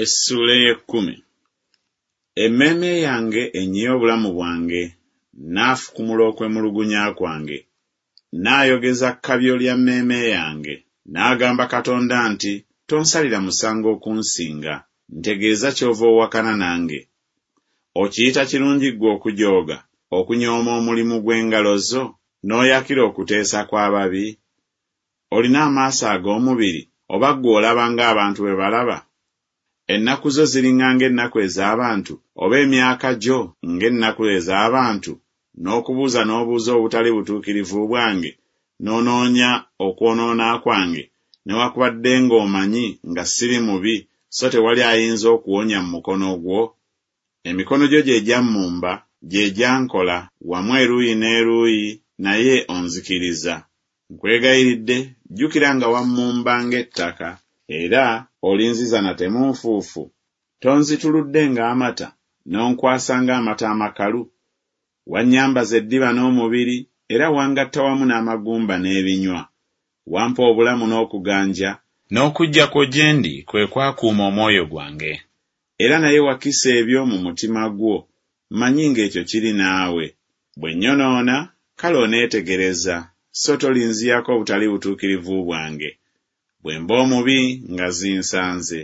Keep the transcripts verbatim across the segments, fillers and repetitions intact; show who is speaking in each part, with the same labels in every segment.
Speaker 1: Essuula ey'ekkumi. Emmeeme yange ennyiye obulamu bwange, nnaafukumula okwemulugunya kwange. Nnaayogeza kkabyo lya mmeeme yange. Naagamba Katonda nti Tonsalira musango okunsinga, ntegeeza ky'ova owakana nange. Okiyita kirungi ggwe okujooga, okunyooma omulimu gw'engalo zo, n'oyakira okuteesa kw'ababi? Olina amaaso ag'omubiri, oba ggwe olaba ng'abantu bwe balaba? Ennaku zo ziriŋŋa ng'ennaku ez'abantu, oba emyaka gyo ng'ennaku ez'abantu, n'okubuuza n'obuuza obutali butuukirivu bwange, n'onoonya okwonoona kwange, newakubadde ng'omanyi nga siri mubi, so tewali ayinza okuwonya mu mukono gwo? Emikono gyo gye gyammumba, gye gyankola, wamu eruuyi n'eruuyi, naye onzikiriza. Nkwegayiridde, jjukira nga wammumba ng'ettaka, era olinziza nate mu nfuufu? Tonzituludde ng'amata, n'onkwasa ng'amata amakalu? Wannyambaza eddiba n'omubiri, era wangatta wamu n'amagumba n'ebinywa. Wampa obulamu n'okuganja, n'okujja kwo gye ndi kwe kwakuuma omwoyo gwange. Era naye wakisa ebyo mu mutima gwo, mmanyi ng'ekyo kiri naawe. Bwe nnyonoona, kale oneetegereza, so tolinziyako obutali butuukirivu bwange. Bwe mba omubi, nga zinsanze,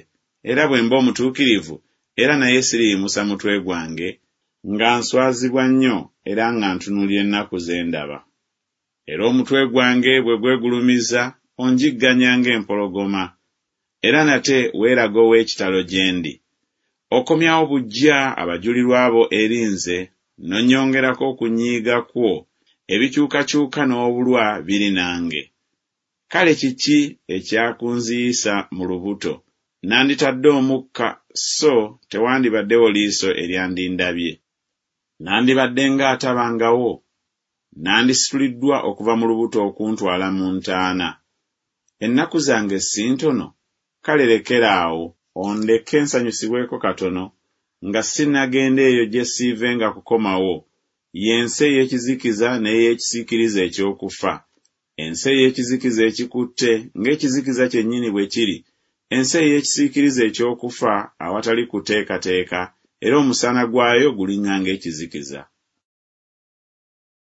Speaker 1: era bwe mba omutuukirivu, era naye siriyimusa mutwe gwange, nga nswazibwa nnyo era nga ntunuulira ennaku ze ndaba. Era omutwe gwange bwe gwegulumiza, onjigganya ng'empologoma, era nate weeraga ow'ekitalo gye ndi. Okomyawo buggya abajulirwa bo eri nze, n'onnyongerako okunyiiga kwo, ebikyukakyuka n'obulwa biri nange. Kale kiki ekyakunziyisa mu lubuto? Nanditadde omukka, so tewandibaddewo liiso eryandindabye. Nandibadde ng'atabangawo, nandisituliddwa okuva mu lubuto okuntwala mu ntaana. Ennaku zange si ntono? Kale lekera awo, ondeke nsanyusibweko katono, nga sinnagenda eyo gye siivenga kukomawo, y'ensi ey'ekizikiza n'ey'ekisiikirize eky'okufa, ensi ey'ekizikiza ekikutte ng'ekizikiza kyennyini bwe kiri, ensi ey'ekisiikirize eky'okufa awatali kuteekateeka, era omusana gwayo guliŋŋa ng'ekizikiza.